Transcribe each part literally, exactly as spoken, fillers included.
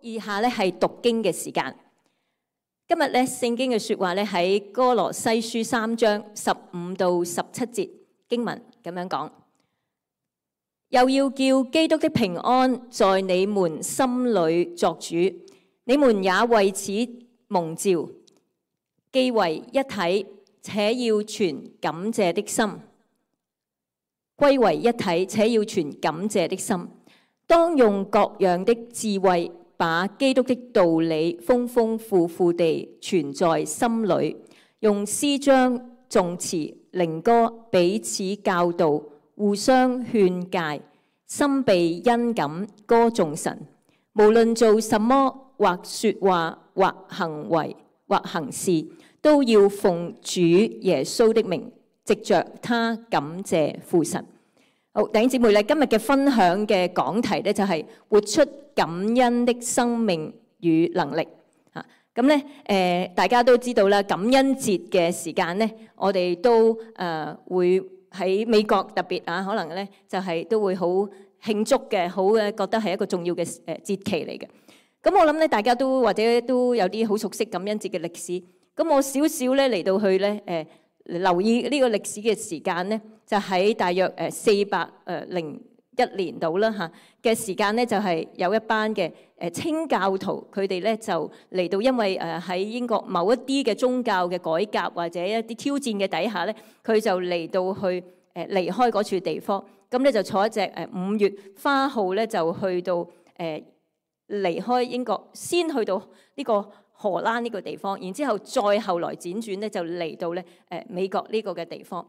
以下咧係讀經嘅時間。今日咧聖經嘅説話咧喺哥羅西書三章十五到十七節經文咁樣講，又要叫基督的平安在你們心裏作主，你們也為此蒙召，既為一體，且要存感謝的心，歸為一體，且要存感謝的心。當用各樣的智慧，把基督的道理豐豐富富地存在心裏，用詩章、頌詞、靈歌彼此教導，互相勸誡，心被恩感歌頌神。無論做什麼，或說話，或行為，或行事，都要奉主耶穌的名，藉着他感謝父神。好，弟兄姊妹咧，今日嘅分享嘅講題咧就係活出感恩的生命與能力嚇。咁咧誒，大家都知道啦，感恩節嘅時間咧，我哋都誒、呃、會喺美國特別啊，可能咧就係、是、都會好慶祝嘅，好嘅覺得係一個重要嘅誒節期嚟嘅。咁我諗咧，大家都或者都有啲好熟悉感恩節嘅歷史。咁我少少咧嚟到去咧誒。呃留意呢個歷史嘅時間咧，就喺大約誒四百誒零一年度啦嚇嘅時間咧，就係有一班嘅誒清教徒，佢哋咧就嚟到，因為誒喺英國某一啲嘅宗教嘅改革或者一啲挑戰嘅底下咧，佢就嚟到去誒離開嗰處地方，咁咧就坐一隻誒五月花號咧，就去到誒離開英國，先去到呢個荷蘭呢個地方，然之後再後來輾轉咧就嚟到咧誒美國呢個嘅地方。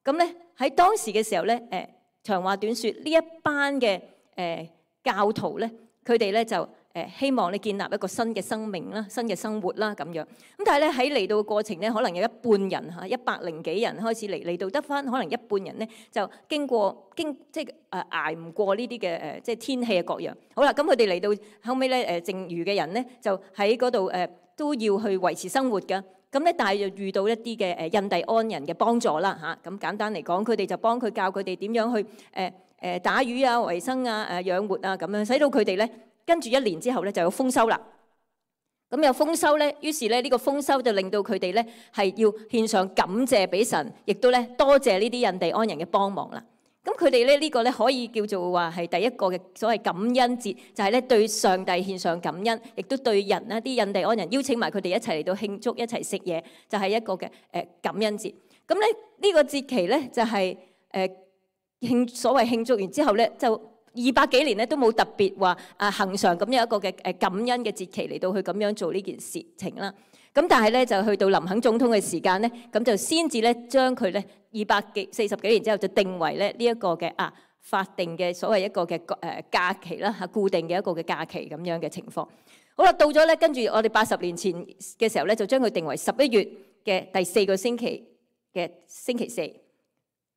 咁咧喺當時嘅時候咧誒長話短説，呢一班嘅誒教徒咧，佢哋咧就誒希望你建立一個新嘅生命啦、新嘅生活啦咁樣。咁但係咧喺嚟到嘅過程咧，可能有一半人嚇一百零幾人開始嚟嚟到得返，可能一半人咧就經過經即係誒捱唔過呢啲嘅誒即係天氣嘅各樣。好啦，咁佢哋嚟到後尾咧誒剩餘嘅人咧就喺嗰度誒都要去維持生活㗎。咁咧但係又遇到一啲嘅誒印第安人嘅幫助啦嚇。咁簡單嚟講，佢哋就幫佢教佢哋點樣去誒誒打魚啊、維生啊、誒養活啊咁樣，使到佢哋咧。跟住一年之後咧就有豐收啦，咁有豐收咧，於是咧呢個豐收就令到佢哋咧係要獻上感謝俾神，亦都咧多謝呢啲印第安人嘅幫忙啦。咁佢哋咧呢個咧可以叫做話係第一個嘅所謂感恩節，就係咧對上帝獻上感恩，亦都對人啦啲印第安人邀請埋佢哋一齊嚟到慶祝，一齊食嘢，就係一個嘅誒感恩節。咁咧呢個節期咧就係誒慶所謂慶祝完之後咧就。二百幾年咧都冇特別話啊恆常咁樣一個嘅誒感恩嘅節期嚟到去咁樣做呢件事情啦。咁但係咧就去到林肯總統嘅時間咧，咁就先至咧將佢咧二百幾四十幾年之後就定為咧呢一個嘅啊法定嘅所謂一個嘅誒假期啦嚇，固定嘅一個嘅假期咁樣嘅情況。好啦，到咗咧跟住我哋八十年前嘅時候咧，就將佢定為十一月嘅第四個星期嘅星期四。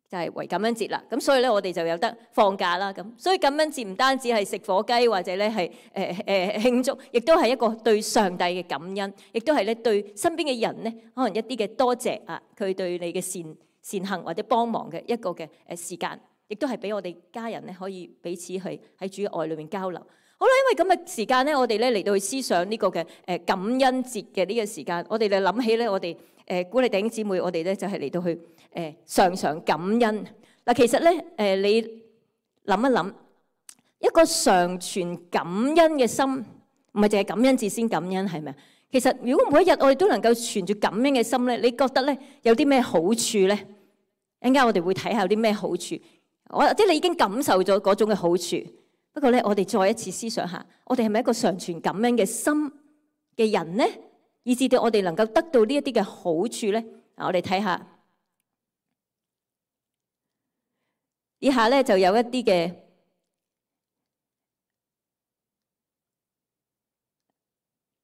就係為感恩節啦，咁所以咧我哋就有得放假啦。咁所以感恩節唔單止係食火雞或者咧係誒誒慶祝，亦都係一個對上帝嘅感恩，亦都係咧對身邊嘅人咧可能一啲嘅多謝啊，佢對你嘅善善行或者幫忙嘅一個嘅誒時間，亦都係俾我哋家人咧可以彼此去喺主嘅愛裏面交流。好啦，因為咁嘅時間咧，我哋咧嚟到去思想呢個嘅誒感恩節嘅呢個時間，我哋就諗起咧我哋誒鼓勵弟兄姊妹，我哋咧就係嚟到去。誒常常感恩嗱，其實咧誒你諗一諗，一個常存感恩嘅心，唔係淨係感恩節先感恩係咪啊？其實如果每一日我哋都能夠存住感恩嘅心咧，你覺得咧有啲咩好處咧？一陣間我哋會睇下有啲咩好處，我即係你已經感受咗嗰種嘅好處。不過咧，我哋再一次思想下，我哋係咪一個常存感恩嘅心嘅人咧？以至到我哋能夠得到呢一啲嘅好處咧？嗱，我哋睇下。以下咧就有一啲嘅，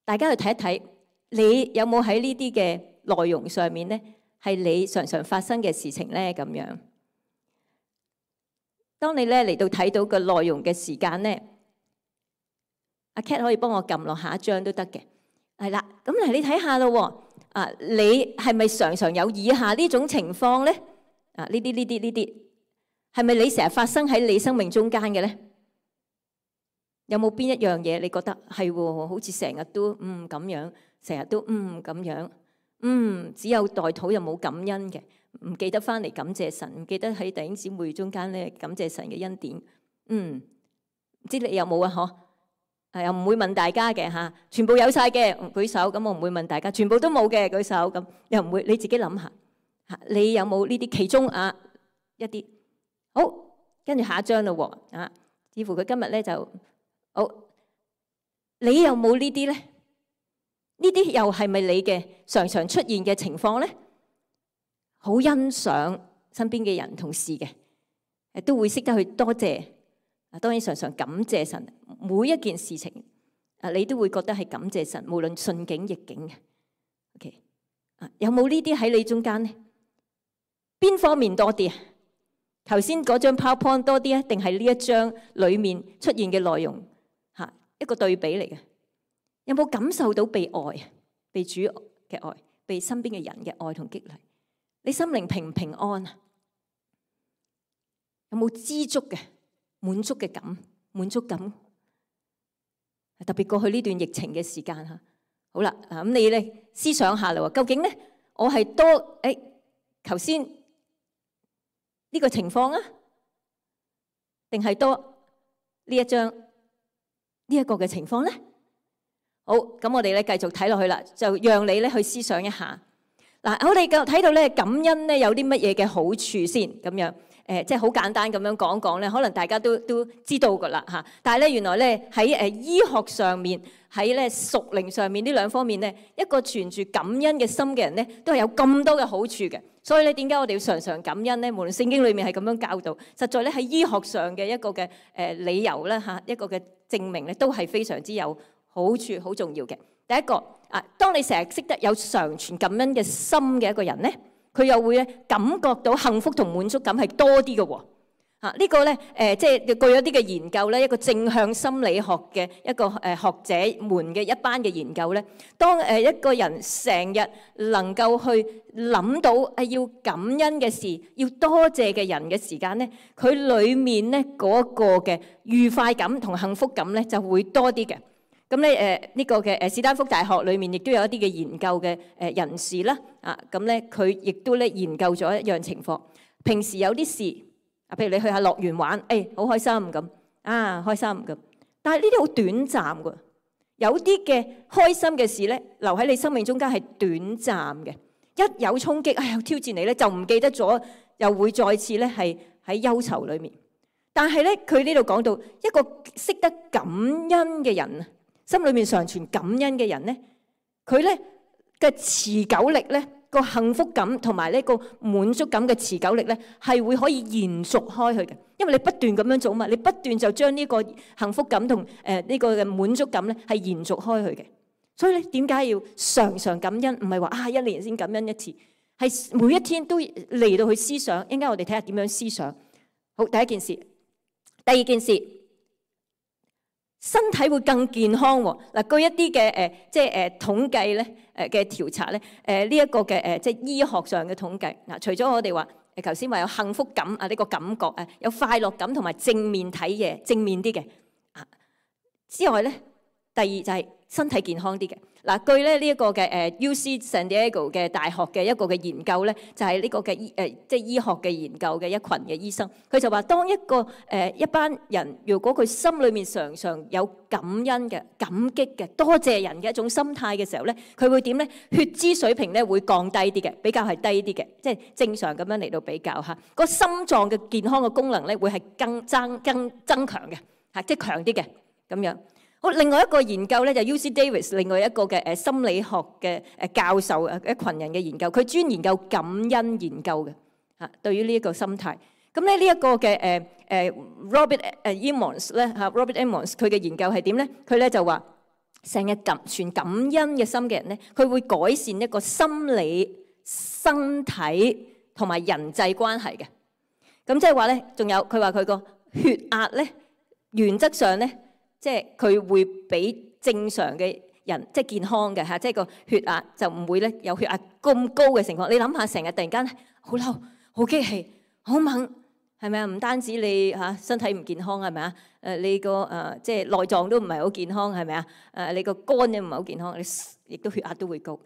大家去睇一睇，你有冇喺呢啲嘅內容上面咧，係你常常發生嘅事情咧？咁樣，當你咧嚟到睇到個內容嘅時間咧，阿 Cat 可以幫我撳落下一張都得嘅，係啦。咁嚟你睇下咯，啊，你係咪常常有以下呢種情況咧？啊，呢啲呢啲呢啲。係咪你成日發生喺你生命中間嘅咧？有冇邊一樣嘢你覺得係喎？好似成日都嗯咁樣，成日都嗯咁樣，嗯只有代禱又冇感恩嘅，唔記得翻嚟感謝神，唔記得喺弟兄姊妹中間咧感謝神嘅恩典。嗯，唔知你有冇啊？嗬，係又唔會問大家嘅嚇，全部有晒嘅舉手，咁我唔會問大家，全部都冇嘅舉手，咁又唔會，你自己諗下嚇，你有冇呢啲其中啊一啲？好，跟住下一章咯喎啊，似乎佢今日咧就。好，你有冇呢啲咧？呢啲又係咪你嘅常常出現嘅情況咧？好欣賞身邊嘅人同事嘅，誒都會識得去多謝。啊，當然常常感謝神，每一件事情啊，你都會覺得係感謝神，無論順境逆境嘅。OK，啊，有冇呢啲喺你中間咧？邊方面多啲啊？頭先嗰張 PowerPoint 多啲啊，定係呢一張裡面出現嘅內容？一個對比嚟嘅，有冇感受到被愛、被主嘅愛、被身邊嘅人嘅愛同激勵？你心靈平唔平安啊？有冇知足嘅滿足嘅感、滿足感？特別過去呢段疫情嘅時間嚇，好啦，嗱咁你咧思想下啦喎，究竟咧我係多誒頭先呢個情況啊，定係多呢一張？呢一個嘅情況咧，好，咁我哋咧繼續睇落去啦，就讓你咧去思想一下。嗱，我哋嘅睇到咧感恩咧有啲乜嘢嘅好處先，咁樣誒，即係好簡單咁樣講講咧，可能大家都都知道噶啦嚇。但係咧原來咧喺誒醫學上面，喺咧屬靈上面呢兩方面咧，一個存住感恩嘅心嘅人咧，都係有咁多嘅好處嘅。所以咧，點解我哋要常常感恩咧？無論聖經裏面係咁樣教導，實在咧喺醫學上嘅一個嘅誒理由咧嚇，一個嘅證明咧，都係非常之有好處、好重要嘅。第一個啊，當你成日識得有常存感恩嘅心嘅一個人咧，佢又會咧感覺到幸福同滿足感係多啲嘅喎。啊，呢個咧誒，即係據咗啲嘅研究咧，一個正向心理學嘅一個誒學者們嘅一班嘅研究咧，當誒一個人成日能夠去諗到誒要感恩嘅事，要多謝嘅人嘅時間咧，佢裡面咧嗰個嘅愉快感同幸福感咧就會多啲嘅。咁咧誒呢個嘅誒史丹福大學裏面亦都有一啲嘅研究嘅誒人士啦，啊咁咧佢亦都咧研究咗一樣情況，平時有啲事。啊，譬如你去下樂園玩，誒、哎、好開心咁，啊開心咁。但係呢啲好短暫㗎，有啲嘅開心嘅事咧，留喺你生命中間係短暫嘅。一有衝擊，哎呀挑戰你咧，就唔記得咗，又會再次咧係喺憂愁裏面。但係咧，佢呢度講到一個識得感恩嘅人，心裏面常存感恩嘅人咧，佢咧嘅持久力咧。個幸福感同埋呢個滿足感嘅持久力咧，係會可以延續開去嘅，因為你不斷咁樣做嘛，你不斷就將呢個幸福感同誒呢個嘅滿足感咧係延續開去嘅。所以咧，點解要常常感恩？唔係話啊一年先感恩一次，係每一天都嚟到去思想。應該我哋睇下點樣思想。好，第一件事，第二件事，身體會更健康喎。嗱，據一啲嘅誒即係誒統計咧。誒嘅調查咧，誒呢一個嘅誒即係醫學上嘅統計嗱，除咗我哋話誒頭先話有幸福感啊呢個感覺啊，有快樂感同埋正面睇嘢正面啲嘅啊之外咧，第二就係身體健康啲嘅嗱。據咧呢一個嘅誒 U C San Diego 嘅大學嘅一個嘅研究咧，就係呢個嘅醫誒即係醫學嘅研究嘅一群嘅醫生，佢就話當一個誒一班人如果佢心裏面常常有感恩嘅、感激嘅、多謝人嘅一種心態嘅時候咧，佢會點咧？血脂水平咧會降低啲嘅，比較係低啲嘅，即係正常咁樣嚟到比較嚇。個心臟嘅健康嘅功能咧會係更增更增強嘅嚇，即係強啲嘅咁樣。好，另外一個研究咧就 U C Davis 另外一個嘅誒心理學嘅誒教授誒一群人嘅研究，佢專研究感恩研究嘅嚇，對於呢一個心態。咁咧呢一個嘅誒誒 Robert 誒 Emmons 咧嚇 Robert Emmons 佢嘅研究係點咧？佢咧就話成日感存感恩嘅心嘅人咧，佢會改善一個心理、身體同埋人際關係嘅。咁即係話咧，仲有佢話佢個血壓咧，原則上咧。即係佢會比正常嘅人即係健康嘅嚇，即係個血壓就唔會咧有血壓咁高嘅情況。你諗下，成日突然間好嬲、好激氣、好猛係咪啊？唔單止你嚇身體唔健康係咪啊？誒你個誒即係內臟都唔係好健康係咪啊？誒你個肝又唔係好健康，你亦都血壓都會高。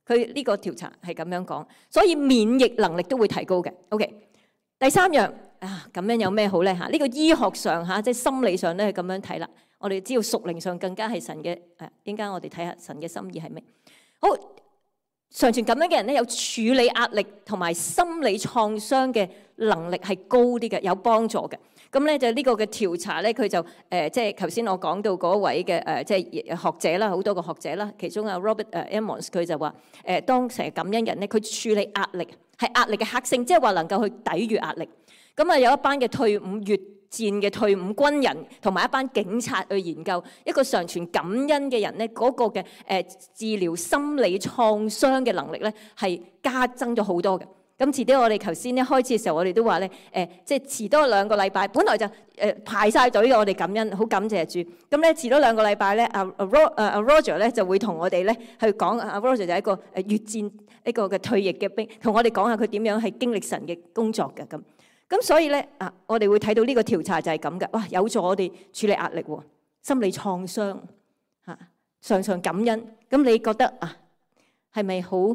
佢呢個調查係咁樣講，所以免疫能力都會提高嘅。OK， 第三樣啊，咁樣有咩好咧嚇？呢個醫學上嚇即係心理上咧係咁樣睇啦。我哋知道屬靈上更加係神嘅誒，應該我哋睇下神嘅心意係咩？好，常存咁樣嘅人咧，有處理壓力同埋心理創傷嘅能力係高啲嘅，有幫助嘅。咁咧就呢個嘅調查咧，佢就誒即係頭先我講到嗰位嘅誒即係學者啦，好多個學者啦，其中啊 Robert 誒 Emmons 佢就話誒當成日感恩人咧，佢處理壓力係壓力嘅克星，即係話能夠去抵禦壓力。咁啊有一班嘅退伍越戰嘅退伍軍人同埋一班警察去研究一個常存感恩嘅人咧，嗰個嘅誒治療心理創傷嘅能力咧係加增咗好多嘅。咁遲啲我哋頭先一開始嘅時候，我哋都話咧誒，即係遲多兩個禮拜，本來就誒排晒隊嘅，我哋感恩，好感謝主。咁咧遲多兩個禮拜咧，阿阿 Ro 阿 Roger 咧就會同我哋咧去講，阿 Roger 就係一個誒越戰一個嘅退役嘅兵，同我哋講下佢點樣係經歷神嘅工作嘅咁。咁所以咧啊，我哋會睇到呢個調查就係咁嘅，哇！有助我哋處理壓力喎，心理創傷嚇，常常感恩。咁你覺得啊，係咪好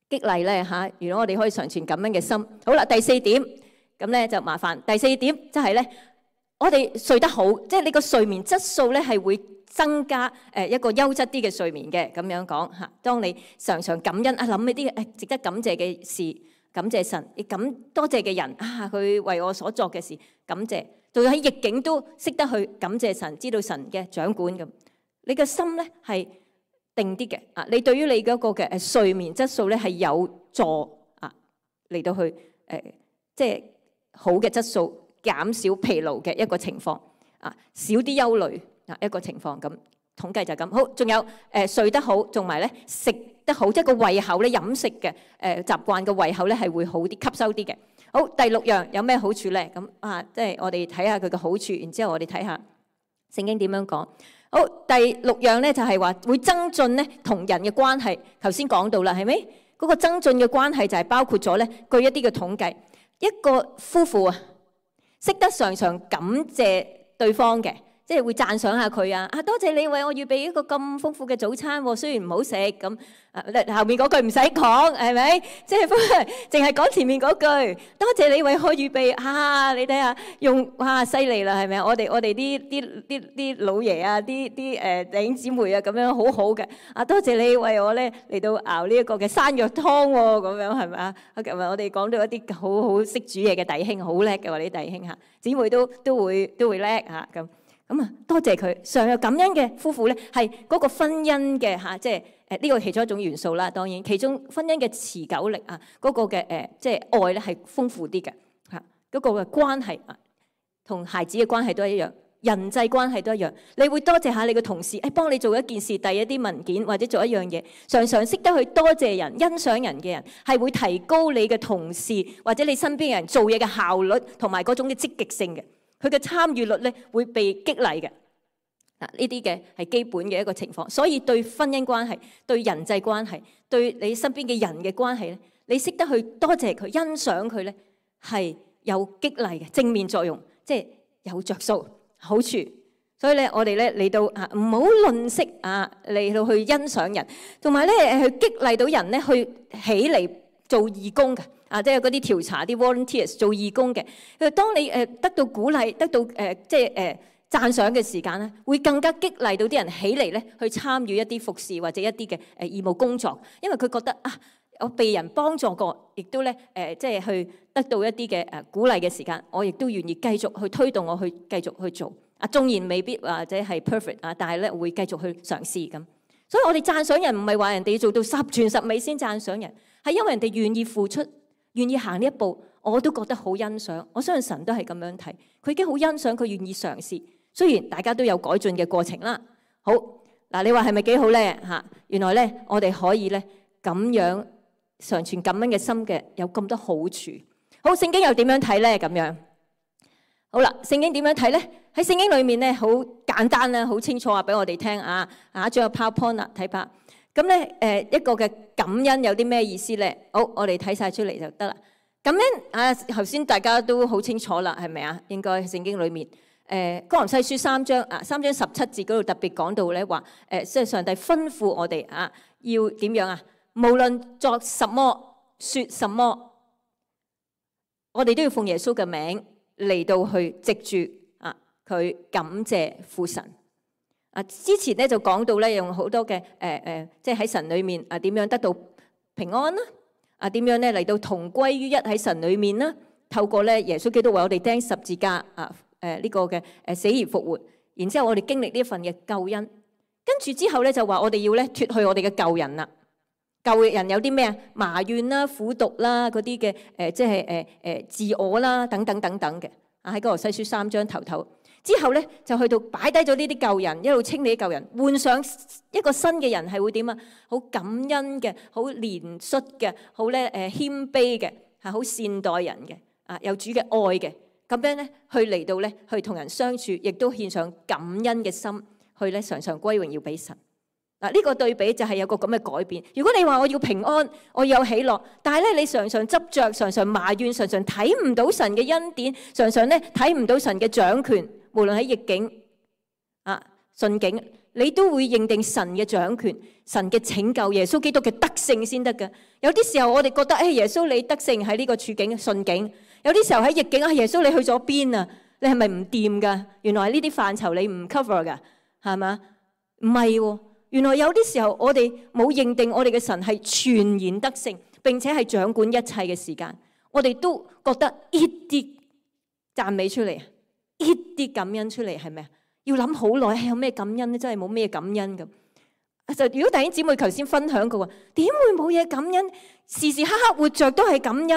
激勵咧嚇？如果我哋可以常存感恩嘅心，好啦，第四點咁咧就麻煩。第四點即係咧，我哋睡得好，即係你個睡眠質素咧係會增加誒一個優質啲嘅睡眠嘅。咁樣講嚇，當你常常感恩啊，諗起啲誒值得感謝嘅事。感謝神，亦感多謝嘅人啊！佢為我所作嘅事，感謝。仲有喺逆境都識得去感謝神，知道神嘅掌管咁。你嘅心咧係定啲嘅啊！你對於你嗰個嘅誒睡眠質素咧係有助啊嚟到去誒、呃、即係好嘅質素，減少疲勞嘅一個情況啊，少啲憂慮啊一個情況咁。統計就係咁。好，仲有誒、呃、睡得好，同埋咧食得好，即係個胃口咧飲食嘅誒習慣嘅胃口咧係會好啲，吸收啲嘅。好，第六樣有咩好處咧？咁啊，即係我哋睇下佢嘅好處，然之後我哋睇下聖經點樣講。好，第六樣咧就係話會增進咧同人嘅關係。頭先講到啦，係咪？嗰個增進嘅關係就係包括咗咧，據一啲嘅統計，一個夫婦啊，識得常常感謝對方嘅。即係會讚賞下佢啊！啊，多謝你為我預備一個咁豐富嘅早餐喎，雖然唔好食咁。啊，後面嗰句唔使講，係咪？即係淨係講前面嗰句。多謝你為我預備啊！你睇下用哇，犀利啦，係咪？我哋我哋啲啲啲啲老爺啊，啲啲誒弟兄姊妹啊，咁樣好好嘅。啊，多謝你為我咧嚟到熬呢一個嘅山藥湯喎，咁樣係咪啊？琴日我哋講到一啲好好識煮嘢嘅弟兄，好叻嘅喎，啲弟兄嚇姊妹都都會都會叻嚇咁。咁啊，多謝佢常有感恩嘅夫婦咧，係嗰個婚姻嘅嚇，即係誒呢個其中一種元素啦。當然，其中婚姻嘅持久力啊，嗰個嘅誒即係愛咧係豐富啲嘅嚇，嗰個嘅關係啊，同孩子嘅關係都係一樣，人際關係都一樣。你會多謝下你嘅同事，誒幫你做一件事，遞一啲文件或者做一樣嘢，常常識得去多謝人、欣賞人嘅人，係會提高你嘅同事或者你身邊嘅人做嘢嘅效率同埋嗰種嘅積極性嘅。佢嘅參與率咧會被激勵嘅，嗱呢啲嘅係基本嘅一個情況，所以對婚姻關係、對人際關係、對你身邊嘅人嘅關係咧，你識得去多謝佢、欣賞佢咧，係有激勵嘅正面作用，即係有着數好處。所以咧，我哋咧嚟到啊，唔好吝嗇啊，嚟到去欣賞人，同埋咧去激勵到人咧去起嚟做義工嘅。啊，即係嗰啲調查啲 volunteers 做義工嘅，佢當你誒得到鼓勵、得到誒即係誒讚賞嘅時間咧，會更加激勵到啲人起嚟咧，去參與一啲服侍或者一啲嘅誒義務工作，因為佢覺得啊，我被人幫助過，亦都咧誒即係去得到一啲嘅誒鼓勵嘅時間，我亦都願意繼續去推動我去繼續去做。啊，縱然未必或者係 perfect 啊，但係咧會繼續去嘗試咁。所以我哋讚賞人唔係話人哋要做到十全十美先讚賞人，係因為人哋願意付出。願意行呢一步，我都覺得好欣賞。我相信神都係咁樣睇，佢已經好欣賞佢願意嘗試。雖然大家都有改進嘅過程啦。好嗱，你話係咪幾好咧？嚇，原來咧我哋可以咧咁樣常存感恩嘅心嘅，有咁多好處。好，聖經又點樣睇咧？咁樣好啦，聖經點樣睇咧？喺聖經裏面咧，好簡單啦，好清楚話俾我哋聽啊。啊，仲有 PowerPoint 啦，睇下。咁咧，誒一個嘅感恩有啲咩意思咧？好，我哋睇晒出嚟就得啦。咁樣啊，頭先大家都好清楚啦，係咪啊？應該聖經裏面，誒哥林西書三章啊，三章十七節嗰度特別講到咧，話誒即係上帝吩咐我哋啊，要點樣啊？無論作什麼、說什麼，我哋都要奉耶穌嘅名嚟到去藉住啊，佢感謝父神啊。之前咧就講到咧，用好多嘅誒誒，即係喺神裏面啊，點樣得到平安啦？啊，點樣咧嚟到同歸於一喺神裏面啦？透過咧耶穌基督為我哋釘十字架啊，誒呢個嘅誒死而復活，然之後我哋經歷呢一份嘅救恩，跟住之後咧就話我哋要咧脫去我哋嘅舊人啦。舊人有啲咩啊？埋怨啦、苦毒啦、嗰啲嘅誒，即係誒誒自我啦，等等等等嘅啊。喺哥羅西書三章頭頭之後咧，就去到擺低咗呢啲舊人，一路清理舊人，換上一個新嘅人，係會點啊？好感恩嘅，好憐恤嘅，好咧誒謙卑嘅，係好善待人嘅啊，有主嘅愛嘅，咁樣咧去嚟到咧去同人相處，亦都獻上感恩嘅心，去咧常常歸榮耀俾神。嗱，呢個對比就係有個咁嘅改變。如果你話我要平安，我要有喜樂，但係咧你常常執着，常常埋怨，常常睇唔到神嘅恩典，常常咧睇唔到神嘅掌權，無論喺逆境啊順境，你都會認定神嘅掌權、神嘅拯救、耶穌基督嘅得勝先得嘅。有啲時候我哋覺得，誒耶穌你得勝喺呢個處境順境，有啲時候喺逆境啊，耶穌你去咗邊啊？你係咪唔掂㗎？原來係呢啲範疇你唔 cover 㗎，係嘛？唔係喎。原來有啲時候我哋冇認定我哋嘅神係全然得勝，並且係掌管一切嘅時間，我哋都覺得一啲讚美出嚟，一啲感恩出嚟，係咪啊？要諗好耐，有咩感恩咧？真係冇咩感恩咁。就如果弟兄姊妹頭先分享過話，點會冇嘢感恩？時時刻刻活着都係感恩，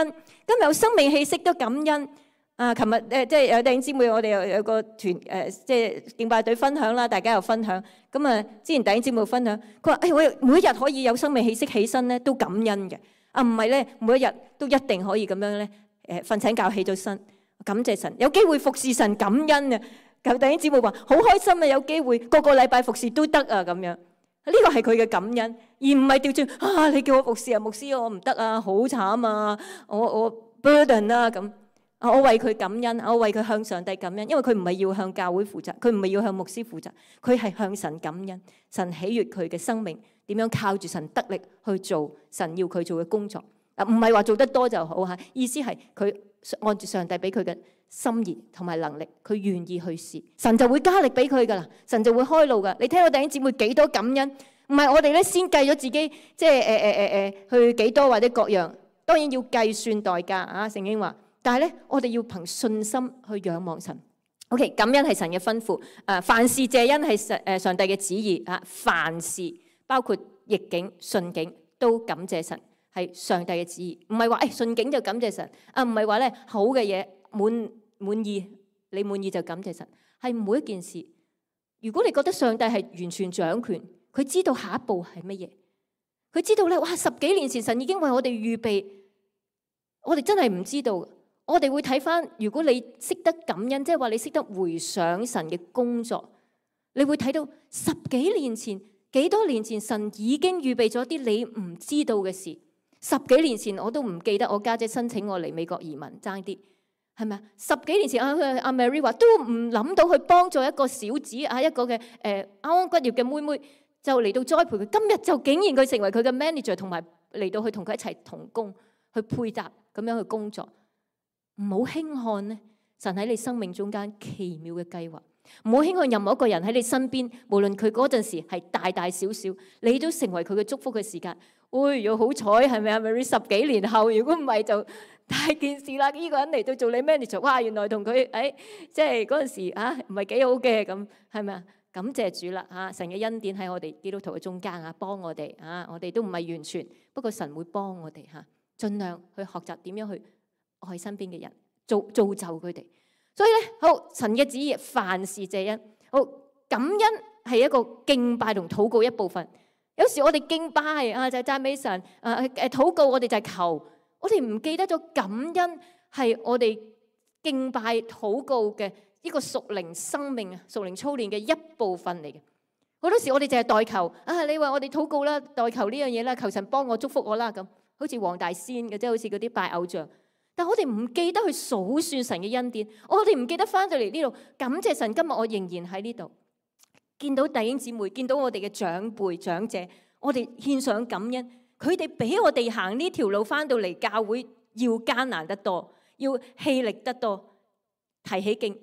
今日有生命氣息都感恩。啊！琴日誒即係有弟兄姊妹，我哋有有個團誒，即係敬拜隊分享啦，大家又分享。咁啊，之前弟兄姊妹分享，佢話：誒，我每一日可以有生命氣息起身咧，都感恩嘅。啊，唔係咧，每一日都一定可以咁樣咧。誒，瞓醒覺起咗身，感謝神，有機會服侍神，感恩啊！舊弟兄姊妹話：好開心啊，有機會個個禮拜服侍都得啊，咁樣。呢個係佢嘅感恩，而唔係調轉啊！你叫我服侍啊，牧師我唔得啊，好慘啊，我我 burden 啊咁。我為佢感恩，我為佢向上帝感恩，因為佢唔係要向教會負責，佢唔係要向牧師負責，佢係向神感恩。神喜悅佢嘅生命，點樣靠住神得力去做神要佢做嘅工作。啊，唔係話做得多就好嚇，意思係佢按住上帝俾佢嘅心意同埋能力，佢願意去試，神就會加力俾佢噶啦，神就會開路噶。你聽到弟兄姊妹幾多感恩？唔係我哋咧先計咗自己，即係誒誒誒誒去幾多或者各樣，當然要計算代價啊。聖經話。但係咧，我哋要憑信心去仰望神。O.K. 感恩係神嘅吩咐。誒，凡事謝恩係上誒上帝嘅旨意啊。凡事包括逆境、順境都感謝神，係上帝嘅旨意。唔係話誒順境就感謝神啊，唔係話咧好嘅嘢滿滿意，你滿意就感謝神。係每一件事，如果你覺得上帝係完全掌權，佢知道下一步係乜嘢，佢知道咧，哇！十幾年前神已經為我哋預備，我哋真係唔知道。我哋會睇翻，如果你識得感恩，即係話你識得回想神嘅工作，你會睇到十幾年前、幾多年前，神已經預備咗啲你唔知道嘅事。十幾年前我都唔記得我家姐申請我嚟美國移民，爭啲係咪啊？十幾年前阿阿 Mary 話都唔諗到去幫助一個小子啊，一個嘅誒啱啱畢業嘅妹妹，就嚟到栽培佢。今日就竟然佢成為佢嘅 manager， 同埋嚟到去同佢一齊同工，去配搭咁樣去工作。唔好輕看咧，神喺你生命中間奇妙嘅計劃。唔好輕看任何一個人喺你身邊，無論佢嗰陣時係大大小小，你都成為佢嘅祝福嘅時間。哎呀，好彩係咪啊 Mary？ 十幾年後，如果唔係就大件事啦。呢個人嚟到做你 manager， 哇！原來同佢誒，即係嗰陣時啊，唔係幾好嘅咁，係咪啊？感謝主啦嚇！神嘅恩典喺我哋基督徒嘅中間啊，幫我哋啊，我哋都唔係完全，不過神會幫我哋嚇，盡量去學習點樣去愛身邊嘅人，造造就佢哋。所以咧，好，神嘅旨意，凡事謝恩。好，感恩係一個敬拜同禱告一部分。有時我哋敬拜啊，就係讚美神；誒誒禱告，我哋就係求。我哋唔記得咗感恩係我哋敬拜禱告嘅一個屬靈生命啊、屬靈操練嘅一部分嚟嘅。好多時我哋淨係代求啊，你話我哋禱告啦，代求呢樣嘢啦，求神幫我祝福我啦咁，好似黃大仙嘅，即係好似嗰啲拜偶像。但我哋唔記得去數算神嘅恩典，我哋唔記得翻到嚟呢度感謝神。今日我仍然喺呢度，見到弟兄姊妹，見到我哋嘅長輩長者，我哋獻上感恩。佢哋比我哋行呢條路翻到嚟教會要艱難得多，要氣力得多，提起勁，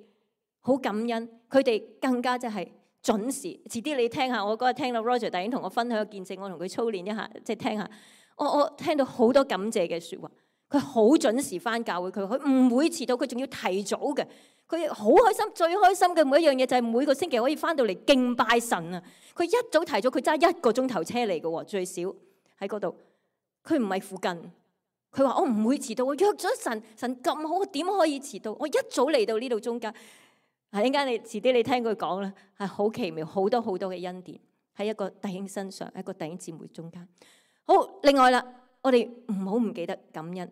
好感恩。佢哋更加即係準時。遲啲你聽下，我嗰日聽到 Roger 弟兄同我分享嘅見證，我同佢操練一下，即係聽下。我我聽到好多感謝嘅説話。佢好準時翻教會，佢佢唔會遲到，佢仲要提早嘅。佢好開心，最開心嘅每一樣嘢就係每個星期可以翻到嚟敬拜神啊！佢一早提早，佢揸一個鐘頭車嚟嘅喎，最少喺嗰度。佢唔係附近，佢話我唔會遲到，我約咗神，神咁好，我點可以遲到？我一早嚟到呢度中間。啊，陣間你遲啲你聽佢講啦，係好奇妙，好多好多嘅恩典喺一個弟兄身上，一個弟兄姊妹中間。好，另外啦，我哋唔好唔記得感恩。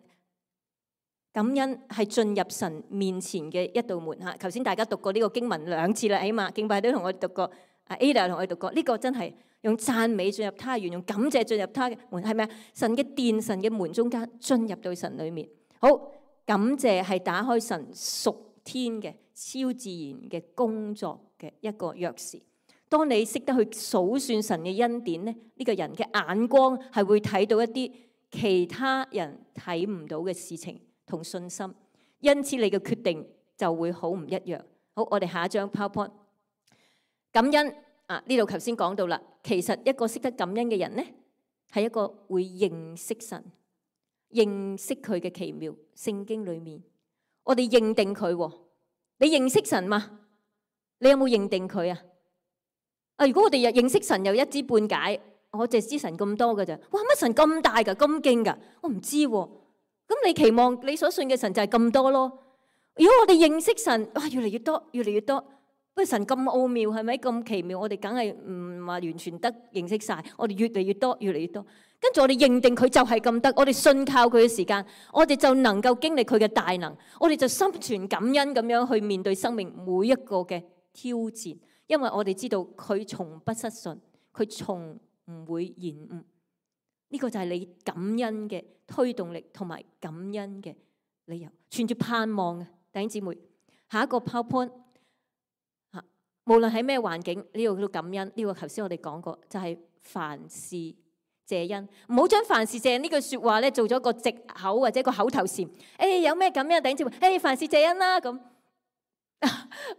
感恩係進入神面前嘅一道門嚇。頭先大家讀過呢個經文兩次啦，起碼敬拜都同我哋讀過，阿 Ada 同我哋讀過。呢、這個真係用讚美進入他園，用感謝進入他嘅門，係咪啊？神嘅殿、神嘅門中間進入到神裏面。好，感謝係打開神屬天嘅超自然嘅工作嘅一個鑰匙。當你識得去數算神嘅恩典咧，呢、這個人嘅眼光係會睇到一啲其他人睇唔到嘅事情同信心，因此你嘅決定就會好唔一樣。好，我哋下一張 PowerPoint。感恩啊，呢度頭先講到啦，其實一個識得感恩嘅人呢，係一個會認識神、認識佢嘅奇妙。聖經裏面，我哋認定佢。你認識神嘛？你有冇認定佢啊？啊，如果我哋又認識神又一知半解，我淨係知神咁多㗎咋？哇，乜神咁大㗎？咁勁㗎？我唔知喎。咁你期望你所信嘅神就係咁多咯？如果我哋認識神，哇，越嚟越多，越嚟越多。不過神咁奧妙，係咪咁奇妙？我哋梗係唔話完全得認識晒。我哋越嚟越多，越嚟越多。跟住我哋認定佢就係咁得，我哋信靠佢嘅時間，我哋就能夠經歷佢嘅大能，我哋就心存感恩咁樣去面對生命每一個嘅挑戰，因為我哋知道佢從不失信，佢從唔會延誤。呢個就係你感恩嘅推動力同埋感恩嘅理由，存住盼望嘅弟兄姊妹。下一個 PowerPoint 嚇，無論喺咩環境，呢個叫感恩。呢個頭先我哋講過，就係凡事謝恩。唔好將凡事謝恩呢句説話咧做咗個藉口或者個口頭禪。誒，有咩感恩弟兄姊妹？誒，凡事謝恩啦咁。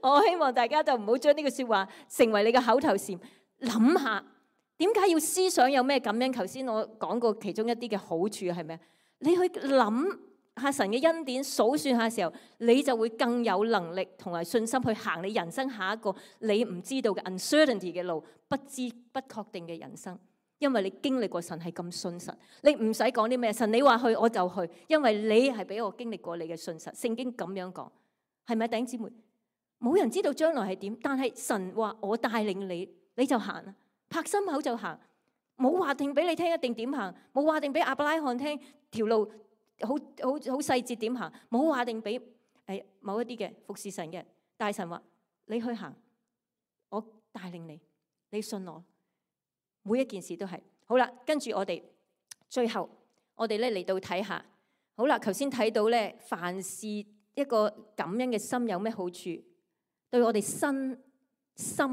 我希望大家就唔好將呢句説話成為你嘅口頭禪。諗下。點解要思想有咩感恩？頭先我講過其中一啲嘅好處係咩？你去諗下神嘅恩典，數算下時候，你就會更有能力同埋信心去行你人生下一個你唔知道嘅 uncertainty 嘅路，不知不確定嘅人生。因為你經歷過神係咁信實，你唔使講啲咩，神你話去我就去，因為你係俾我經歷過你嘅信實。聖經咁樣講，係咪弟兄姊妹？冇人知道將來係點，但係神話我帶領你，你就行啊！拍心口就行，冇話定俾你聽一定點行，冇話定俾亞伯拉罕聽條路好好好細節點行，冇話定俾誒某一啲嘅服侍神嘅大神話你去行，我帶領你，你信我，每一件事都係好啦。跟住我哋最後我哋咧嚟到睇下，好啦，頭先睇到咧，凡事一個感恩嘅心有咩好處？對我哋身心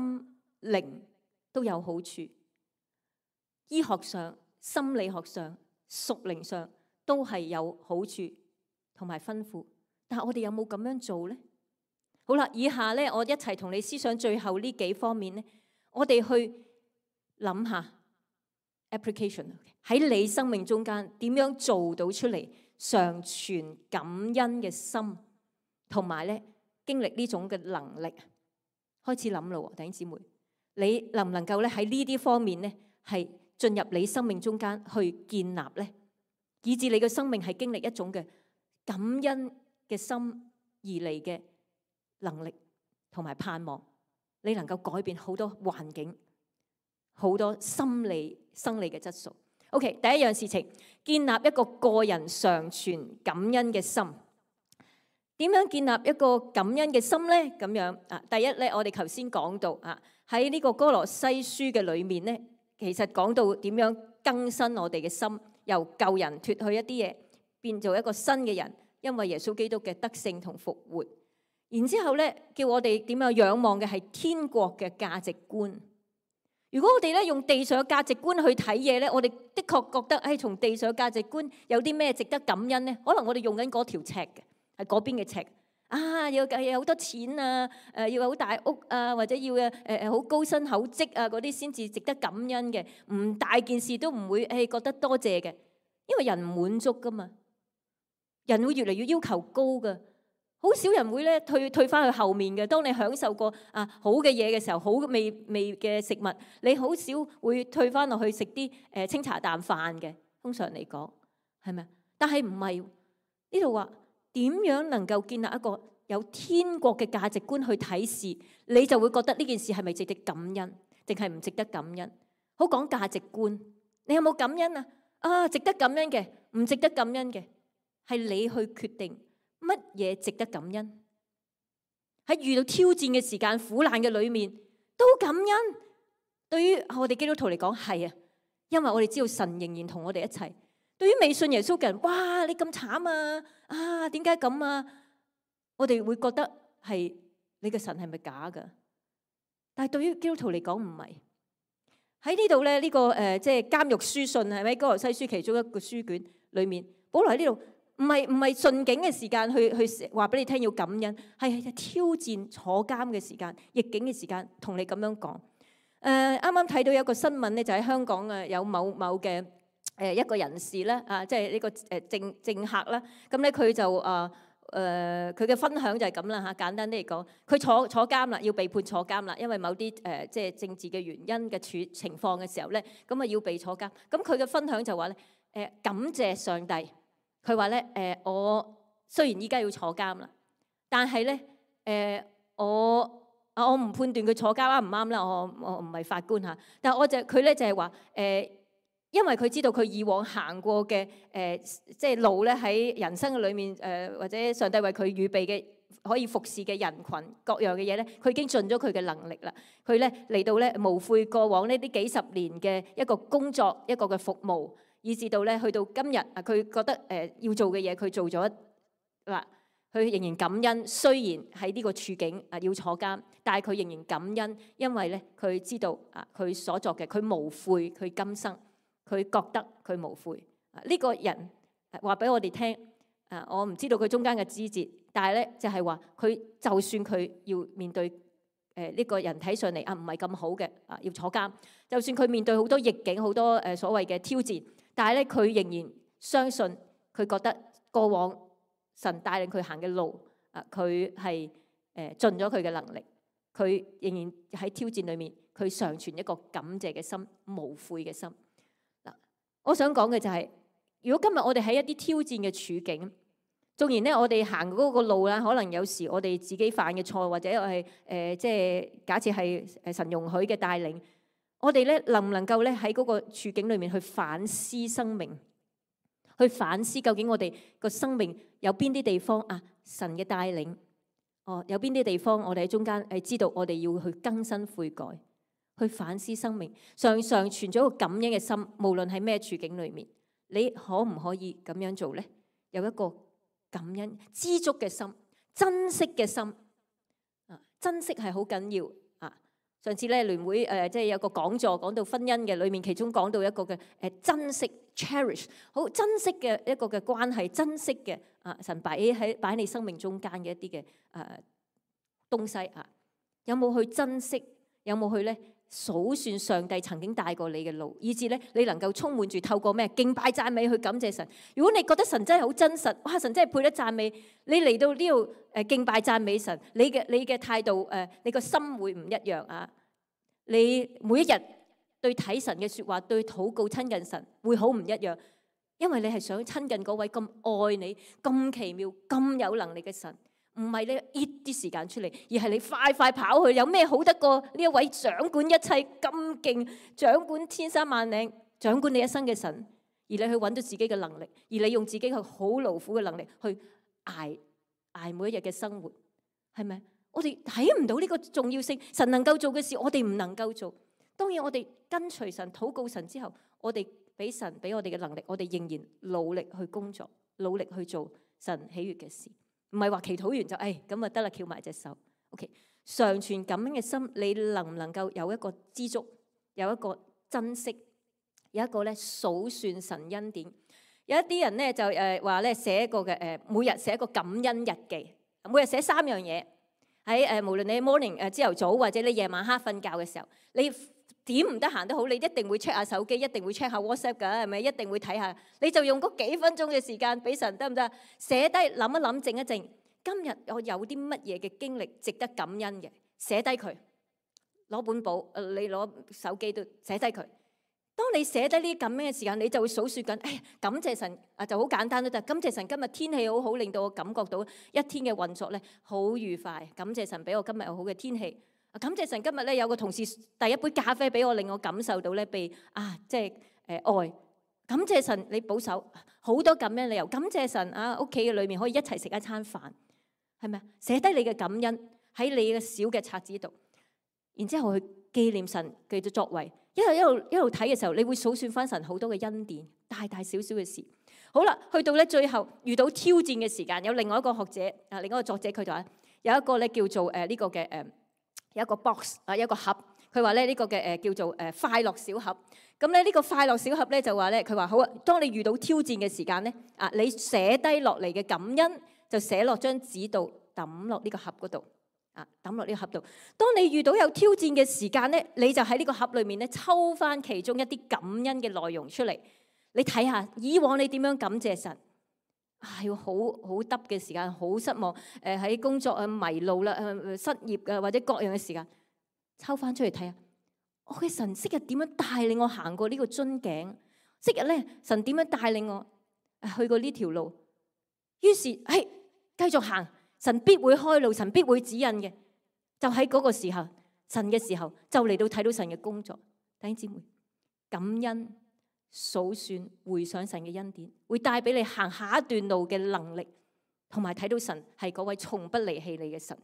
靈都有好處，醫學上、心理學上、屬靈上都係有好處同埋吩咐。但係我哋有冇咁樣做呢？好啦，以下咧我一齊同你思想最後呢幾方面咧，我哋去諗下 application 喺你生命中間點樣做到出嚟，常存感恩嘅心，同埋咧經歷呢種嘅能力。開始諗咯，弟兄姊妹。你能唔能夠咧喺呢啲方面咧係進入你生命中間去建立咧，以致你嘅生命係經歷一種嘅感恩嘅心而嚟嘅能力同埋盼望，你能夠改變好多環境、好多心理生理嘅質素。OK， 第一樣事情，建立一個個人常存感恩嘅心。點樣建立一個感恩嘅心咧？咁樣啊，第一咧，我哋頭先講到啊。喺呢個歌羅西書嘅裏面咧，其實講到點樣更新我哋嘅心，由舊人脫去一啲嘢，變做一個新嘅人，因為耶穌基督嘅得勝同復活。然之後咧，叫我哋點樣仰望嘅係天國嘅價值觀。如果我哋咧用地上嘅價值觀去睇嘢咧，我哋的確覺得，誒，從地上嘅價值觀有啲咩值得感恩咧？可能我哋用緊嗰條尺嘅，係嗰邊嘅尺。啊，要有好多錢啊，誒，要有好大屋啊，或者要誒誒好高薪厚職啊，嗰啲先至值得感恩嘅。唔大件事都唔會誒覺得多謝嘅，因為人唔滿足噶嘛，人會越嚟越要求高噶。好少人會咧退退翻去後面嘅。當你享受過啊好嘅嘢嘅時候，好味味嘅食物，你好少會退翻落去食啲誒清茶淡飯嘅。通常嚟講係咪？但係唔係呢度話點樣能夠建立一個有天國嘅價值觀去睇事，你就會覺得呢件事係咪值得感恩，定係唔值得感恩？好講價值觀，你有冇感恩啊？啊，值得感恩嘅，唔值得感恩嘅，係你去決定。乜嘢值得感恩？喺遇到挑戰嘅時間、苦難嘅裏面都感恩。對於我哋基督徒嚟講係啊，因為我哋知道神仍然同我哋一齊。對於未信耶穌嘅人，哇！你咁慘啊！啊，點解咁啊？我哋會覺得係你嘅神係咪假㗎？但係對於基督徒嚟講唔係。喺呢度咧，呢、這個誒即係監獄書信係咪？哥羅西書其中一個書卷裏面，保羅喺呢度。唔係唔係順境嘅時間去去話俾你聽要感恩，係挑戰坐監嘅時間、逆境嘅時間，同你咁樣講。誒啱啱睇到有一個新聞咧，就喺香港嘅有某某嘅誒一個人士咧，啊即係呢個誒政政客啦。咁咧佢就啊誒佢嘅分享就係咁啦嚇。簡單啲嚟講，佢坐坐監啦，要被判坐監啦，因為某啲誒即係政治嘅原因嘅處情況嘅時候咧，咁啊要被坐監。咁佢嘅分享就話咧誒感謝上帝。佢話咧，誒、呃，我雖然依家要坐監啦，但係咧，誒、呃，我啊，我唔判斷佢坐監啱唔啱啦，我我唔係法官嚇，但係我就佢咧就係話，誒、呃，因為佢知道佢以往行過嘅誒、呃，即係路咧喺人生嘅裏面，誒、呃，或者上帝為佢預備嘅可以服侍嘅人群各樣嘅嘢咧，佢已經盡咗佢嘅能力啦。佢咧嚟到咧無悔過往呢啲幾十年嘅一個工作，一個嘅服務。以至到咧，去到今日啊，佢覺得誒要做嘅嘢，佢做咗嗱，佢仍然感恩。雖然喺呢個處境啊要坐監，但係佢仍然感恩，因為咧佢知道啊，佢所作嘅，佢無悔，佢今生佢覺得佢無悔。啊，呢個人話俾我哋聽啊，我唔知道佢中間嘅枝節，但係咧就係話佢就算佢要面對誒呢個人睇上嚟啊唔係咁好嘅啊要坐監，就算佢面對好多逆境、好多誒所謂嘅挑戰。但係咧，佢仍然相信，佢覺得過往神帶領佢行嘅路，啊，佢係誒盡咗佢嘅能力，佢仍然喺挑戰裏面，佢常存一個感謝嘅心、無悔嘅心。嗱，我想講嘅就係，如果今日我哋喺一啲挑戰嘅處境，縱然咧我哋行嗰個路啦，可能有時我哋自己犯嘅錯，或者我係誒即係假設係誒神容許嘅帶領。我哋咧能唔能夠咧喺嗰個處境裏面去反思生命，去反思究竟我哋個生命有邊啲地方啊？神嘅帶領，哦，有邊啲地方我哋喺中間係知道我哋要去更新悔改，去反思生命，常常存咗一個感恩嘅心，無論喺咩處境裏面，你可唔可以咁樣做咧？有一個感恩、知足嘅心、珍惜嘅心啊！珍惜係好緊要。上次咧聯會誒即係有個講座講到婚姻嘅裏面，其中講到一個嘅誒珍惜 cherish， 好珍惜嘅一個嘅關係，珍惜嘅啊神擺喺擺喺你生命中間嘅一啲嘅誒東西啊，有冇去珍惜？有冇去咧數算上帝曾經帶過你嘅路，以至咧你能夠充滿住透過咩敬拜讚美去感謝神。如果你覺得神真係好真實，哇！神真係配得讚美，你嚟到呢度誒敬拜讚美神，你嘅你嘅態度誒，你個心會唔一樣啊！你每一日對睇神嘅説話，對禱告親近神會好唔一樣，因為你係想親近嗰位咁愛你、咁奇妙、咁有能力嘅神。唔係你搣啲時間出嚟，而係你快快跑去。有咩好得過呢一位掌管一切咁勁、掌管千山萬嶺、掌管你一生嘅神？而你去揾到自己嘅能力，而你用自己去好勞苦嘅能力去捱捱每一日嘅生活，係咪？我哋睇唔到呢個重要性。神能夠做嘅事，我哋唔能夠做。當然，我哋跟隨神、禱告神之後，我哋俾神俾我哋嘅能力，我哋仍然努力去工作、努力去做神喜悅嘅事，唔係話祈禱完就誒咁啊得啦，翹埋隻手。OK， 常存感恩嘅心，你能唔能夠有一個知足，有一個珍惜，有一個咧數算神恩典？有一啲人咧就誒話咧寫一個嘅誒，每日寫一個感恩日記，每日寫三樣嘢。喺誒無論你 morning 誒朝頭早或者你夜晚黑瞓覺嘅時候，你點唔得閒都好，你一定會 check 下手機，一定會 check 下 WhatsApp 㗎，係咪？一定會睇下，你就用嗰幾分鐘嘅時間俾神得唔得？寫低諗一諗，靜一靜。今日我有啲乜嘢嘅經歷值得感恩嘅，寫低佢，攞本簿，誒你攞手機都寫低佢。當你寫低呢啲咁樣嘅時間，你就會數算緊，哎呀，感謝神啊，就好簡單都得。感謝神今日天氣好好，令到我感覺到一天嘅運作咧好愉快。感謝神俾我今日有好嘅天氣。感謝神今日咧有個同事遞一杯咖啡俾我，令我感受到咧被啊即係誒愛。感謝神你保守，好多咁樣理由。感謝神啊，屋企嘅裏面可以一齊食一餐飯，係咪啊？寫低你嘅感恩喺你嘅小嘅冊子度，然之後去紀念神嘅作為。一路一路一路睇嘅時候，你會數算翻神好多嘅恩典，大大小小嘅事。好啦，去到咧最後遇到挑戰嘅時間，有另外一個學者啊，另外一個作者佢就話有一個咧叫做誒呢個嘅誒有一個 box 啊，有一個盒。佢話咧呢個嘅誒叫做誒快樂小盒。咁咧呢個快樂小盒咧就話咧佢話好啊，當你遇到挑戰嘅時間咧啊，你寫低落嚟嘅感恩就寫落張紙度抌落呢個盒嗰度。啊！抌落呢個盒度。當你遇到有挑戰嘅時間咧，你就喺呢個盒裏面咧抽翻其中一啲感恩嘅內容出嚟。你睇下以往你點樣感謝神啊？要好好得嘅時間，好失望，誒、呃、喺工作啊迷路啦，誒、呃、失業啊或者各樣嘅時間，抽翻出嚟睇下。我嘅神昔日點樣帶領我行過呢個樽頸？昔日咧神點樣帶領我去過呢條路？於是係繼續行。神必會開路，神必會指引嘅。就喺嗰個時候，神嘅時候就嚟到睇到神嘅工作。弟兄姊妹，感恩、數算、回想神嘅恩典，會帶俾你行下一段路嘅能力，同埋睇到神係嗰位從不離棄你嘅神。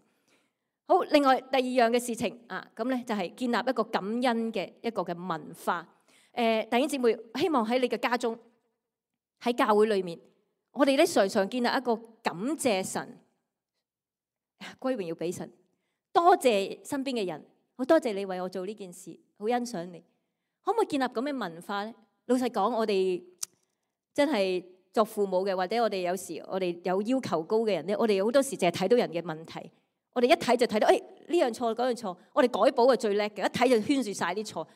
好，另外第二樣嘅事情啊，咁咧就係建立一個感恩嘅一個嘅文化。誒、呃，弟兄姊妹，希望喺你嘅家中，喺教會裏面，我哋咧常常建立一個感謝神。歸榮要俾神，多謝身邊嘅人，好多謝你為我做呢件事，好欣賞你。可唔可以建立咁嘅文化咧？老實講，我哋真係作父母嘅，或者我哋有時我哋有要求高嘅人咧，我哋好多時淨係睇到人嘅問題，我哋一睇就睇到，誒呢樣錯嗰樣錯，我哋改補係最叻嘅，一睇就圈住晒啲錯。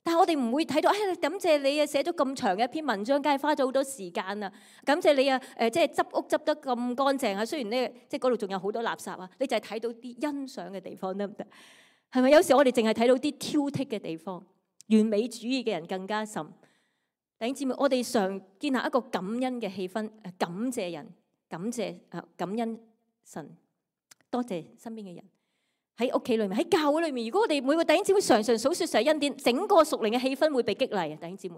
但係我哋唔會睇到，誒感謝你啊，寫咗咁長嘅一篇文章，梗係花咗好多時間啊！感謝你啊，誒即係執屋執得咁乾淨啊！雖然咧，即係嗰度仲有好多垃圾啊，你就係睇到啲欣賞嘅地方得唔得？係咪有時我哋淨係睇到啲挑剔嘅地方？完美主義嘅人更加甚。弟兄姊妹，我哋常建立一個感恩嘅氣氛，誒感謝人，感謝啊感恩神，多謝身邊嘅人。喺屋企裏面，喺教會裏面，如果我哋每個弟兄姊妹常常數說神恩典，整個屬靈嘅氣氛會被激勵啊！弟兄姊妹，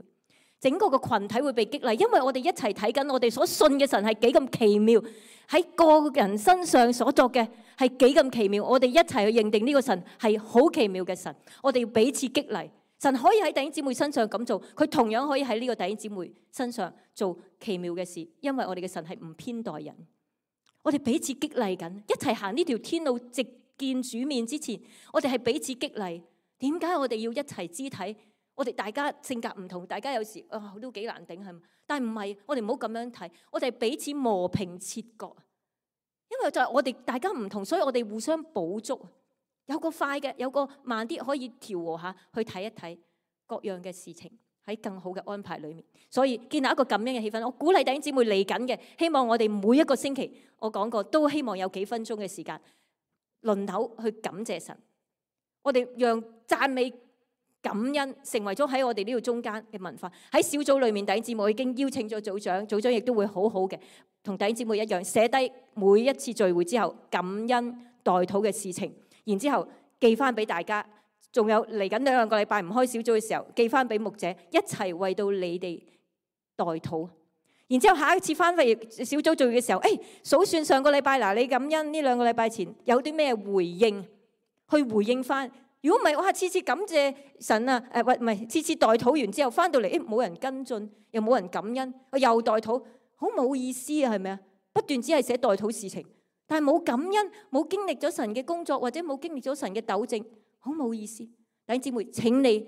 整個個群體會被激勵，因為我哋一齊睇緊我哋所信嘅神係幾咁奇妙，喺個人身上所作嘅係幾咁奇妙，我哋一齊去認定呢個神係好奇妙嘅神，我哋要彼此激勵。神可以喺弟兄姊妹身上咁做，佢同樣可以喺呢個弟兄姊妹身上做奇妙嘅事，因為我哋嘅神係唔偏待人，我哋彼此激勵緊，一齊行呢條天路直見主面之前，我哋係彼此激勵。點解我哋要一齊肢體？我哋大家性格唔同，大家有時啊、哦、都幾難頂係嘛？但係唔係，我哋唔好咁樣睇，我哋係彼此磨平切割。因為就係我哋大家唔同，所以我哋互相補足。有個快嘅，有個慢啲，可以調和下去睇一睇各樣嘅事情喺更好嘅安排裏面。所以建立一個咁樣嘅氣氛，我鼓勵弟兄姊妹嚟緊嘅，希望我哋每一個星期，我講過都希望有幾分鐘嘅時間輪流去感謝神。我哋讓讚美感恩成為咗喺我哋呢度中間嘅文化。喺小組裏面，弟兄姊妹我已經邀請咗組長，組長亦都會好好嘅同弟兄姊妹一樣寫低每一次聚會之後感恩代禱嘅事情，然之後寄翻俾大家。仲有嚟緊兩個禮拜唔開小組嘅時候，寄翻俾牧者一齊為到你哋代禱。然之後下一次翻嚟小組聚會嘅時候，誒數算上個禮拜嗱，你感恩呢兩個禮拜前有啲咩回應，去回應翻。如果唔係，哇次次感謝神啊，誒唔係次次代禱完之後翻到嚟，誒冇人跟進，又冇人感恩，又代禱，好冇意思啊，係咪啊？不斷只係寫代禱事情，但係冇感恩，冇經歷咗神嘅工作，或者冇經歷咗神嘅糾正，好冇意思。弟兄姊妹，請你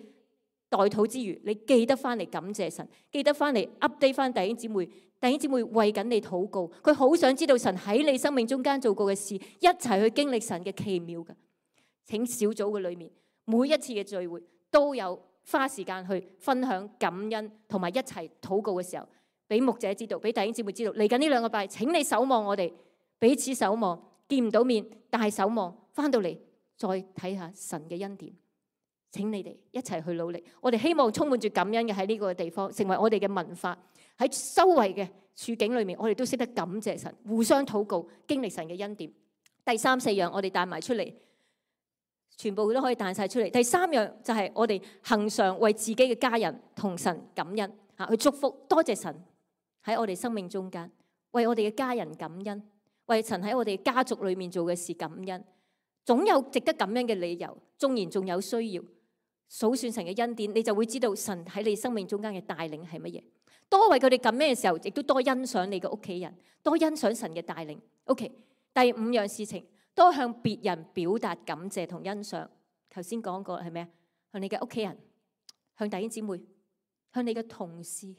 代禱之餘，你記得翻嚟感謝神，記得翻嚟 update 翻弟兄姊妹。弟兄姊妹為緊你禱告，佢好想知道神喺你生命中間做過嘅事，一齊去經歷神嘅奇妙㗎。請小組嘅裏面，每一次嘅聚會都有花時間去分享感恩，同埋一齊禱告嘅時候，俾牧者知道，俾弟兄姊妹知道。嚟緊呢兩個拜，請你守望我哋，彼此守望，見唔到面，但係守望，翻到嚟再睇下神嘅恩典。請你哋一齊去努力。我哋希望充滿住感恩嘅喺呢個地方，成為我哋嘅文化。喺周圍嘅處境裏面，我哋都識得感謝神，互相禱告，經歷神嘅恩典。第三四樣我哋帶埋出嚟，全部都可以帶晒出嚟。第三樣就係我哋恆常為自己嘅家人同神感恩嚇，去祝福，多謝神喺我哋生命中間，為我哋嘅家人感恩，為神喺我哋家族裏面做嘅事感恩。總有值得感恩嘅理由，縱然仲有需要，數算神嘅恩典，你就會知道神喺你生命中間嘅帶領係乜嘢。多為佢哋感恩嘅時候，亦都多欣賞你嘅屋企人，多欣賞神嘅帶領。OK， 第五樣事情，多向別人表達感謝同欣賞。頭先講過係咩啊？向你嘅屋企人，向弟兄姊妹，向你嘅同事，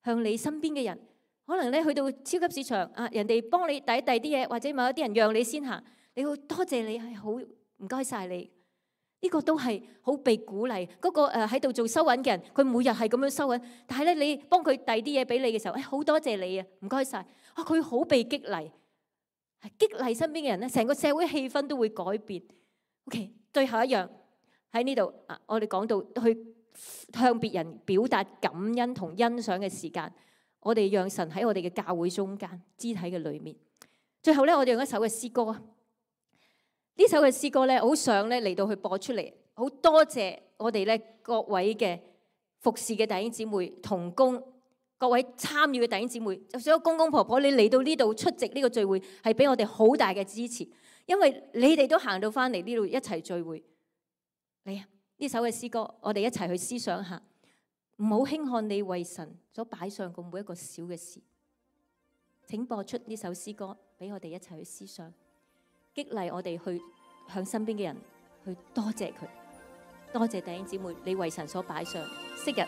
向你身邊嘅人。可能咧去到超級市場啊，人哋幫你遞一遞啲嘢，或者某一啲人讓你先行，你會多謝你，係好唔該晒你。呢個都係好被鼓勵。嗰個誒喺度做收銀嘅人，佢每日係咁樣收銀，但係咧你幫佢遞啲嘢俾你嘅時候，誒好多謝你啊，唔該晒。啊，佢好被激勵，係激勵身邊嘅人咧，成個社會氣氛都會改變。OK， 最後一樣喺呢度啊，我哋講到去向別人表達感恩同欣賞嘅時間，我哋讓神喺我哋嘅教會中間肢體嘅裏面。最後咧，我哋用一首嘅詩歌啊。呢首嘅詩歌咧，好想咧嚟到去播出嚟，好多謝我哋咧各位嘅服侍嘅弟兄姊妹、同工，各位參與嘅弟兄姊妹，就算公公婆婆，你嚟到呢度出席呢個聚會，係俾我哋好大嘅支持，因為你哋都行到翻嚟呢度一齊聚會。嚟啊！呢首嘅詩歌，我哋一齊去思想下，唔好輕看你為神所擺上嘅每一個小嘅事。請播出呢首詩歌，俾我哋一齊去思想。激勵我哋去向身邊嘅人去多謝佢，多謝弟兄姊妹，你為神所擺上，昔日、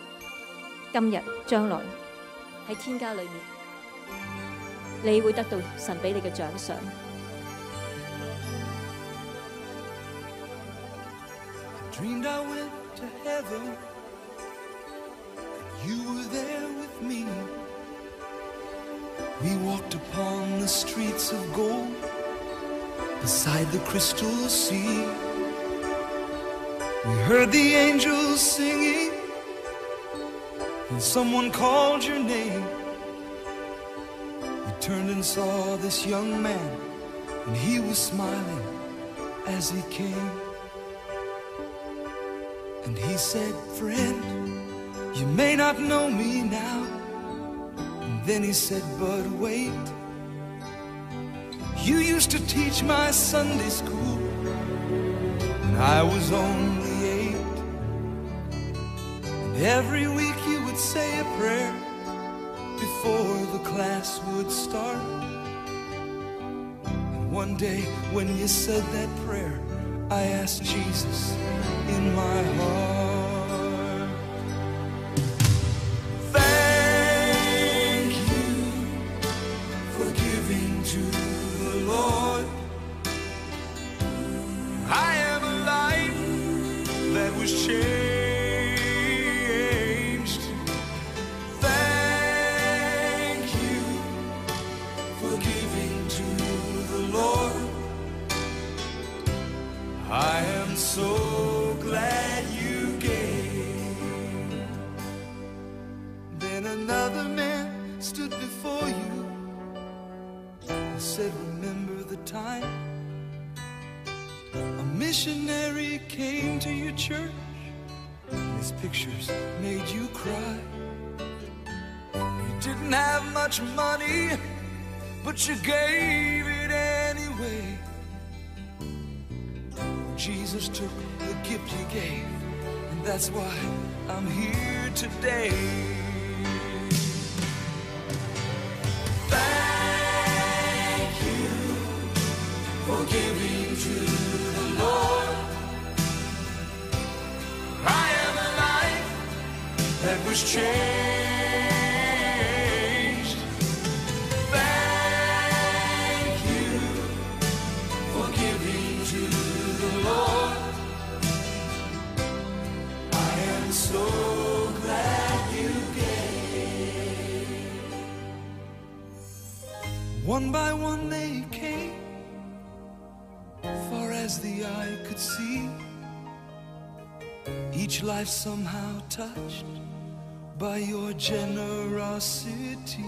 今日、將來喺天家裏面，你會得到神俾你嘅獎賞。Dreamed I went to heaven, you were there with me. We walked upon the streets of gold.Beside the crystal sea, we heard the angels singing, and someone called your name. We turned and saw this young man, and he was smiling as he came. And he said, friend, you may not know me now. And then he said, but wait.You used to teach my Sunday school when I was only eight. And every week you would say a prayer before the class would start. And one day when you said that prayer, I asked Jesus in my heart.But you gave it anyway. Jesus took the gift you gave, and that's why I'm here today. Thank that was changed. Thank you for giving to the Lord. I am so glad you gave. One by one they came, far as the eye could see. Each life somehow touched by your generosity.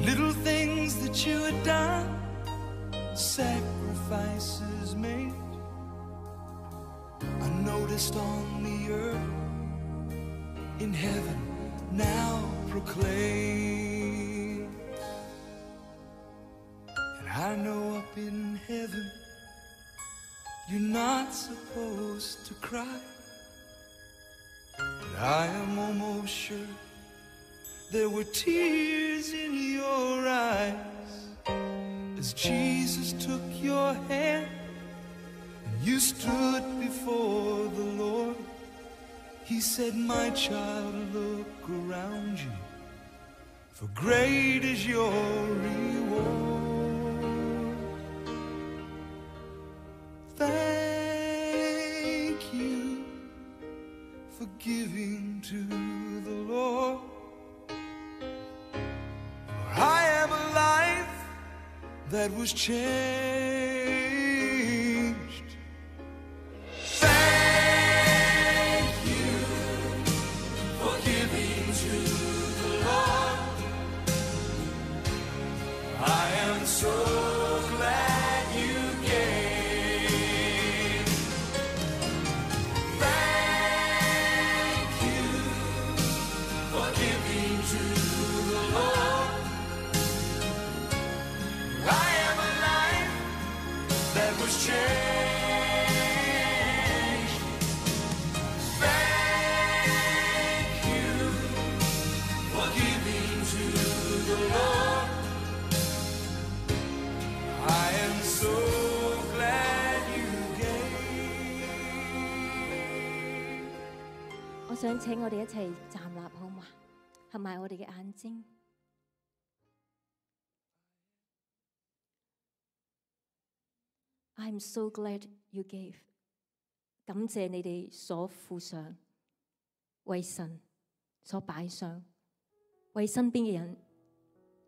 Little things that you had done, sacrifices made, I noticed on the earth, in heaven now proclaim. And I know up in heaven you're not supposed to cry, but I am almost sure there were tears in your eyes as Jesus took your hand and you stood before the Lord. He said, my child, look around you, for great is your reward. Thank you for giving to the Lord. For I am a life that was changed. Thank you for giving to the Lord. I am so glad you gave. Changed. Thank you for giving to the Lord. I am so glad you gave. 我想請我哋一齊站立好嗎？合埋我哋嘅眼睛。I'm so glad you gave。感謝你哋所付上，為神所擺上，為身邊嘅人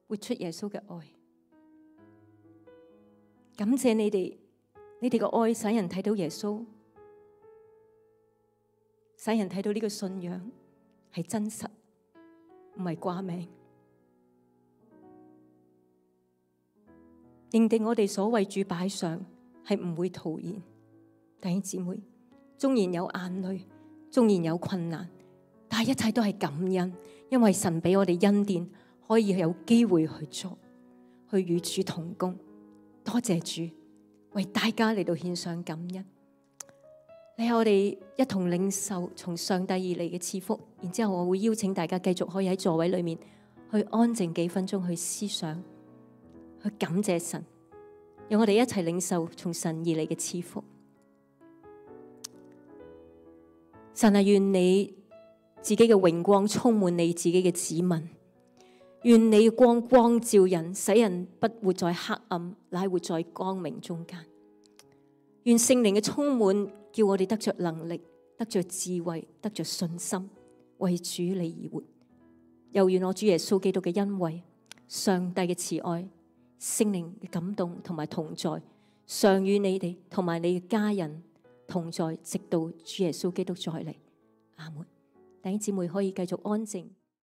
活出耶穌嘅愛。感謝你哋，你哋嘅愛使人睇到耶穌，使人睇到呢個信仰係真實，唔係掛名。認定我哋所為主擺上係唔會徒然。弟兄姊妹，縱然有眼淚，縱然有困難，但係一切都係感恩，因為神俾我哋恩典，可以有機會去做，去與主同工。多謝主，為大家嚟到獻上感恩。你係我哋一同領受從上帝而嚟嘅賜福，然之後我會邀請大家繼續可以喺座位裏面去安靜幾分鐘，去思想，去感謝神，讓我哋一齊領受從神而嚟嘅賜福。神啊，願你自己嘅榮光充滿你自己嘅子民，願你光光照人，使人不活在黑暗，乃活在光明中間。願聖靈嘅充滿，叫我哋得着能力，得着智慧，得着信心，為主你而活。又願我主耶穌基督嘅恩惠、上帝嘅慈愛、聖靈嘅感動同埋同在，常與你哋同埋你嘅家人同在，直到主耶穌基督再嚟。阿門。弟兄姊妹可以繼續安靜。